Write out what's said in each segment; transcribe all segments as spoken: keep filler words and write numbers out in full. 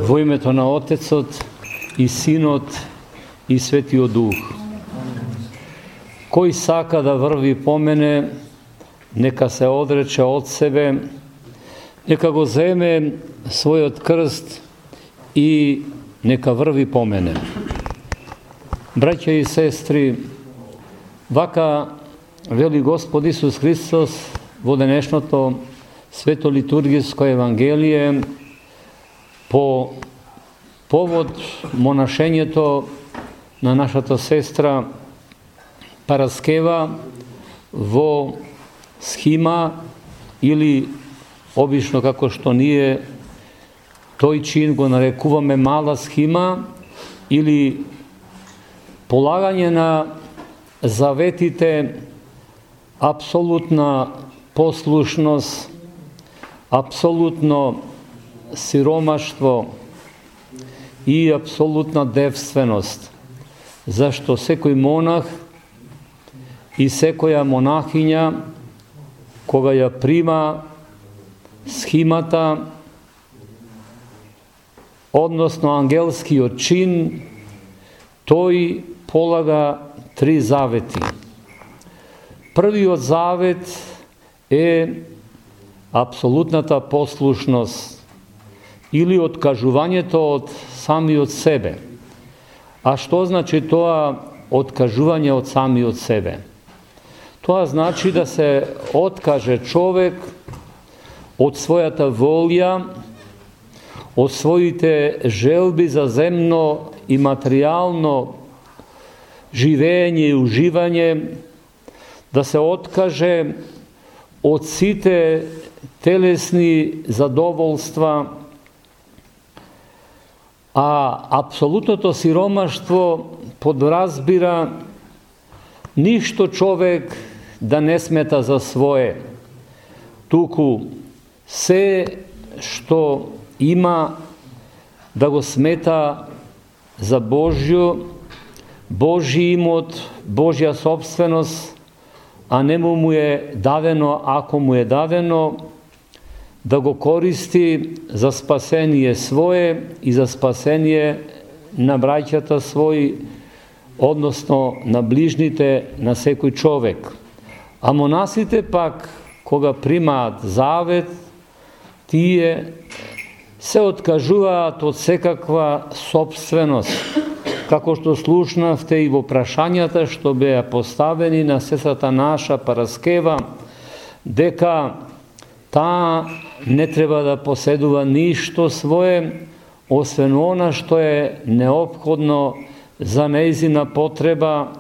Во името на Отецот и Синот и Светиот Дух. Кој сака да врви по мене, нека се одрече од себе, нека го земе својот крст и нека врви по мене. Браќа и сестри, вака вели Господ Исус Христос во денешното свето литургиско евангелие по повод монашењето на нашата сестра Параскева во схима или обично како што ние тој чин го нарекуваме мала схима или полагање на заветите, апсолутна послушност, апсолутно сиромаштво и апсолутна девственост, зашто секој монах и секоја монахиња, кога ја прима схимата, односно ангелскиот чин, тој полага три завети. Првиот завет е апсолутната послушност или откажувањето од самиот себе. А што значи тоа откажување од самиот себе? Тоа значи да се откаже човек од својата волја, од своите желби за земно и материјално живење и уживање, да се откаже од сите телесни задоволства, а апсолутното сиромаштво подразбира ништо човек да не смета за свое, туку се што има да го смета за Божјо, Божји имот, Божја собственост, а не му е дадено, ако му е дадено, да го користи за спасение свое и за спасение на браќата своји, односно на ближните, на секој човек. А монасите пак, кога примаат завет, тие се откажуваат од секаква собственост, како што слушнавте и во прашањата што беа поставени на сестрата наша Параскева, дека таа не треба да поседува ништо свое, освен она што е неопходно за нејзина потреба,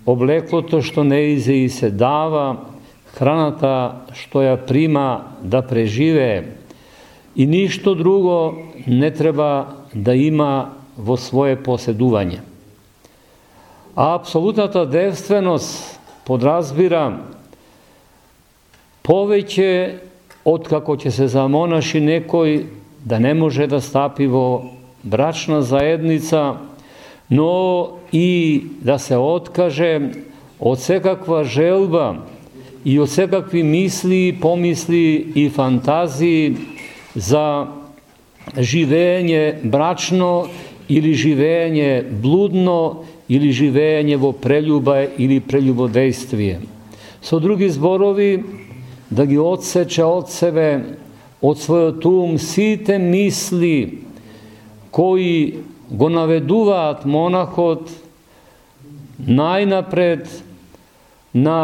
облеклото што нејзе и се дава, храната што ја прима да преживее, и ништо друго не треба да има во свое поседување. А апсолутната девственост подразбира повеќе од како ќе се замонаши некој да не може да стапи во брачна заедница, но и да се откаже од секаква желба и од секакви мисли, помисли и фантазии за живење брачно или живење блудно или живење во прелюба или прелюбодејствие. Со други зборови, да ги одсече од себе, од својот ум, сите мисли кои го наведуваат монахот најнапред на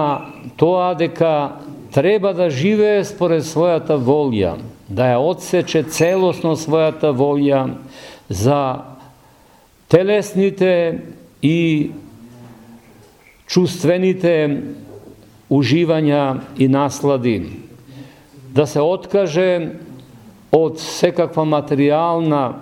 тоа дека треба да живее според својата волја, да ја одсече целосно својата волја за телесните и чувствените уживања и наслади, да се откаже од секаква материјална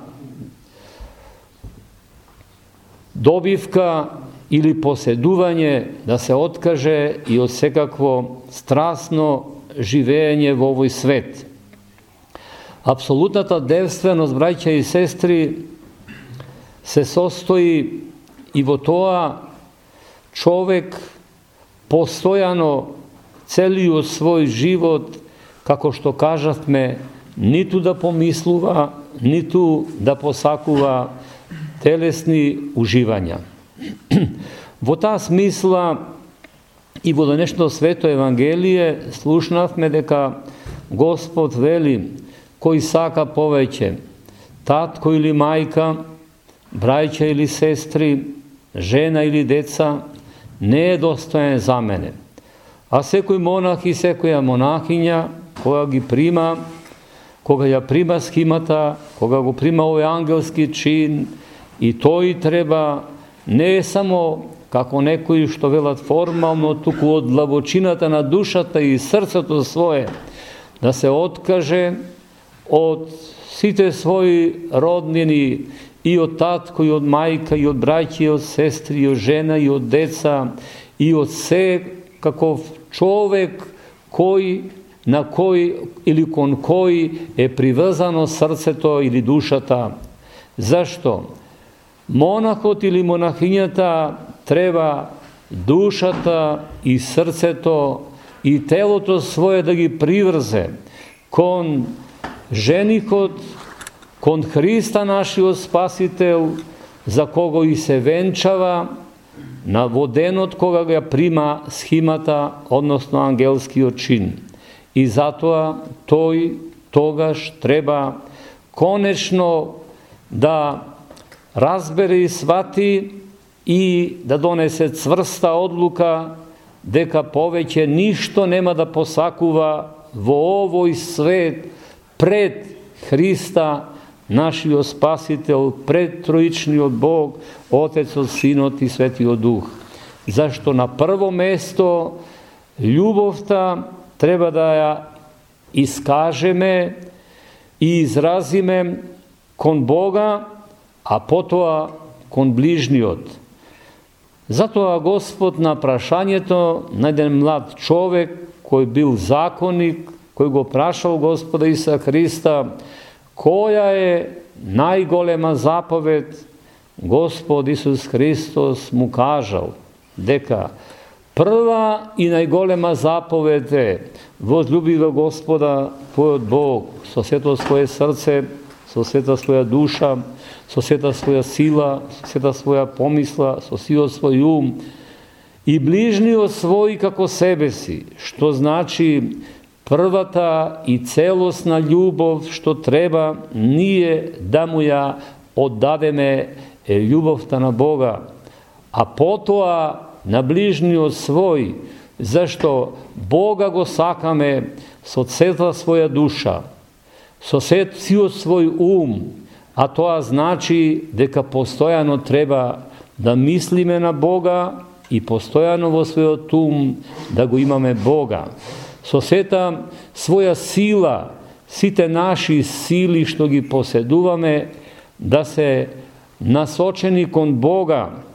добивка или поседување, да се откаже и од секакво страстно живење во овој свет. Апсолутната девственост, браќа и сестри, се состои и во тоа човек постојано целиот свој живот, како што кажавме, ниту да помислува ниту да посакува телесни уживања. Во таа смисла и во денешното свето Евангелие слушнавме дека Господ вели кој сака повеќе, татко или мајка, браќа или сестри, жена или деца, не е достоен за мене. А секој монах и секоја монахиња, кога ги прима, кога ја прима схимата, кога го прима овој ангелски чин, и тој треба не е само како некои што велат формално, туку од длабочината на душата и срцето свое, да се откаже од сите своји роднини, и од татко, и од мајка, и од браќи, и од сестри, и од жена, и од деца, и од се каков човек кој, на кој или кон кој е приврзано срцето или душата. Зашто? Монахот или монахињата треба душата и срцето и телото свое да ги приврзе кон женихот, кон Христа нашиот Спасител, за кого и се венчава на воденот кога го прима схимата, односно ангелскиот чин. И затоа тој тогаш треба конечно да разбере и свати и да донесе цврста одлука дека повеќе ништо нема да посакува во овој свет пред Христа, нашиот Спасител, пред Троичниот Бог, Отецот, Синот и Светиот Дух. Зашто на прво место љубовта треба да ја искажеме и изразиме кон Бога, а потоа кон ближниот. Затоа Господ на прашањето на еден млад човек кој бил законник, кој го прашал Господа Иса Христа која е најголема заповед, Господ Исус Христос му кажал дека прва и најголема заповед е возлюби го Господа твојот Бог со сето своје срце, со сета своја душа, со сета своја сила, со сета своја помисла, со сиот свој ум и ближниот свој како себе си, што значи првата и целосна љубов што треба ние да му ја оддадеме е љубовта на Бога, а потоа на ближниот свој, зашто Бога го сакаме со цела своја душа, со сиот свој ум, а тоа значи дека постојано треба да мислиме на Бога и постојано во својот ум да го имаме Бога. Со сета своја сила, сите наши сили што ги поседуваме, да се насочени кон Бога,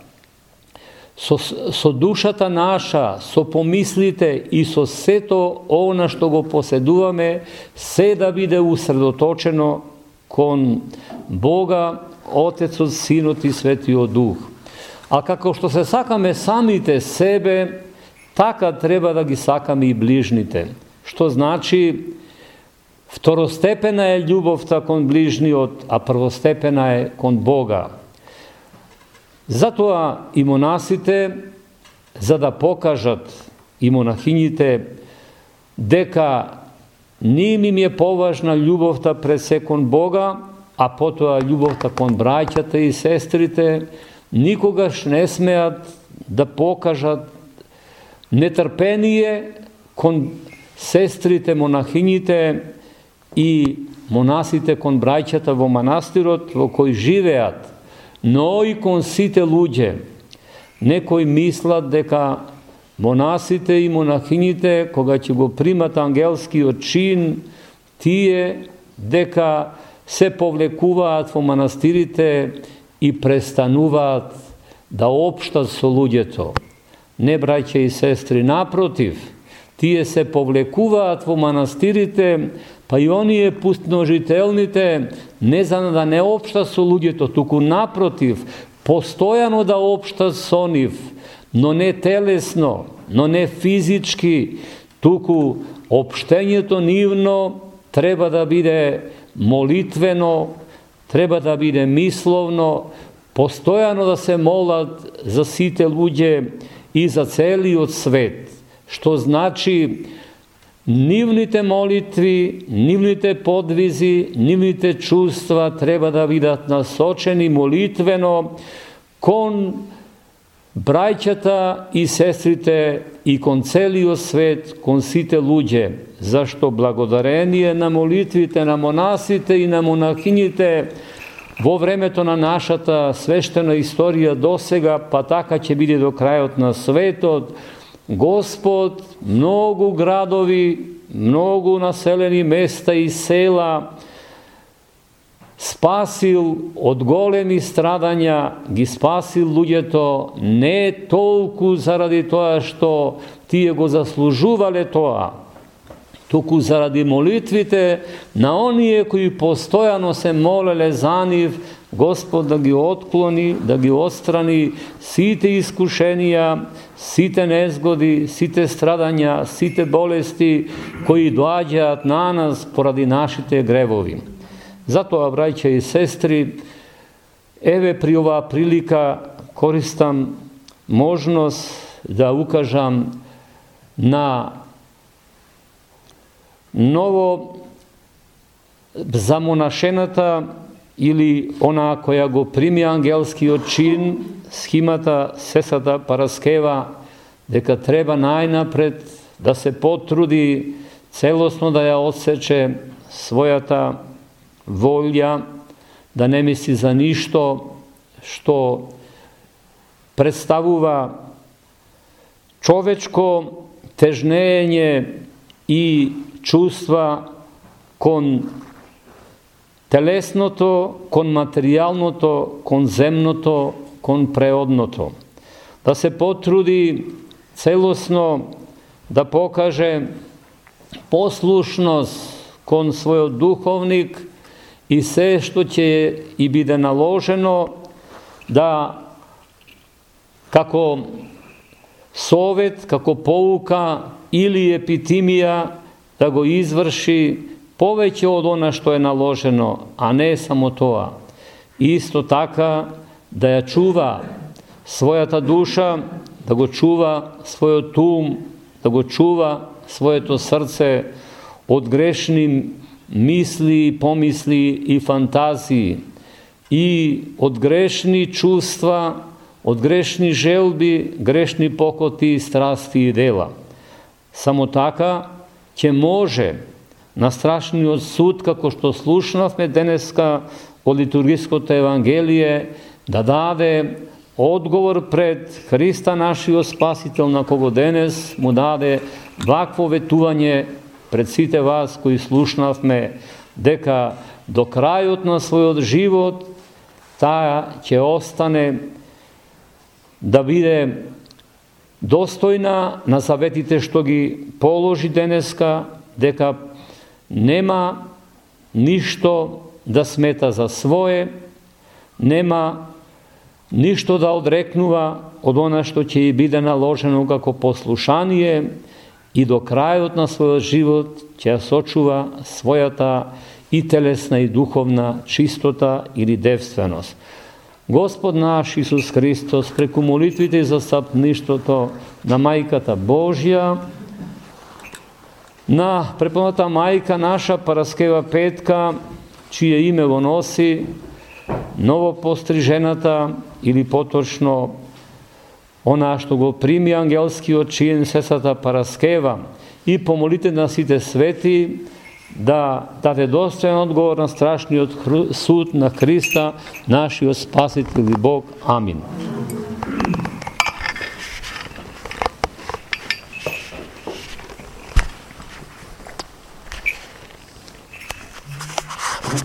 со, со душата наша, со помислите и со сето она што го поседуваме, се да биде усредоточено кон Бога, Отецот, Синот и Светиот Дух. А како што се сакаме самите себе, така треба да ги сакаме и ближните. Што значи, второстепена е љубовта кон ближниот, а првостепена е кон Бога. Затоа и монасите, за да покажат и монахињите дека не им е поважна љубовта пред се кон Бога, а потоа љубовта кон браќата и сестрите, никогаш не смеат да покажат нетрпение кон сестрите монахињите и монасите кон браќата во манастирот во кој живеат, но и кон сите луѓе. Некои мислат дека монасите и монахињите, кога ќе го примат ангелскиот чин, тие дека се повлекуваат во манастирите и престануваат да општат со луѓето. Не, браќа и сестри, напротив, тие се повлекуваат во манастирите, па и оние пустножителните, не за да не општат со луѓето, туку напротив, постојано да општат со нив, но не телесно, но не физички, туку општењето нивно треба да биде молитвено, треба да биде мисловно, постојано да се молат за сите луѓе и за целиот свет, што значи нивните молитви, нивните подвизи, нивните чувства треба да бидат насочени молитвено кон браќата и сестрите и кон целиот свет, кон сите луѓе, зашто благодарение на молитвите на монасите и на монахините во времето на нашата свештена историја досега, па така ќе биде до крајот на светот, Господ многу градови, многу населени места и села спасил од големи страдања, ги спасил луѓето не толку заради тоа што тие го заслужувале тоа, туку заради молитвите на оние кои постојано се молеле за нив, Господ да ги отклони, да ги отстрани сите искушенија, сите незгоди, сите страдања, сите болести кои доаѓаат на нас поради нашите гревови. Затоа, браќа и сестри, еве при оваа прилика користам можност да укажам на ново замонашената или она која го прими ангелскиот чин, схимата Сесата Параскева, дека треба најнапред да се потруди целосно да ја отсече својата волја, да не мисли за ништо што представува човечко тежнење и чувства кон телесното, кон материјалното, кон земното, кон преодното. Да се потруди целосно да покаже послушност кон својот духовник и се што ќе и биде наложено да како совет, како поука или епитимија да го изврши повеќе од она што е наложено, а не само тоа. Исто така да ја чува својата душа, да го чува својот ум, да го чува своето срце од грешни мисли, помисли и фантазии и од грешни чувства, од грешни желби, грешни покоти, страсти и дела. Само така ќе може на страшниот суд, како што слушнавме денеска во литургиското Евангелие, да даде одговор пред Христа нашиот Спасител, на кого денес му даде вакво ветување пред сите вас кои слушнавме, дека до крајот на својот живот таа ќе остане да биде достојна на заветите што ги положи денеска, дека нема ништо да смета за свое, нема ништо да одрекнува од она што ќе и биде наложено како послушание и до крајот на својот живот ќе ја сочува својата и телесна и духовна чистота или девственост. Господ наш Исус Христос, преку молитвите и застапништвото на Мајката Божја, на препоната мајка наша Параскева Петка, чие име го носи новопострижената или поточно она што го прими ангелскиот чин Сесата Параскева, и помолите на сите свети да даде достоен одговор на страшниот суд на Христа, нашиот Спасител и Бог. Амин.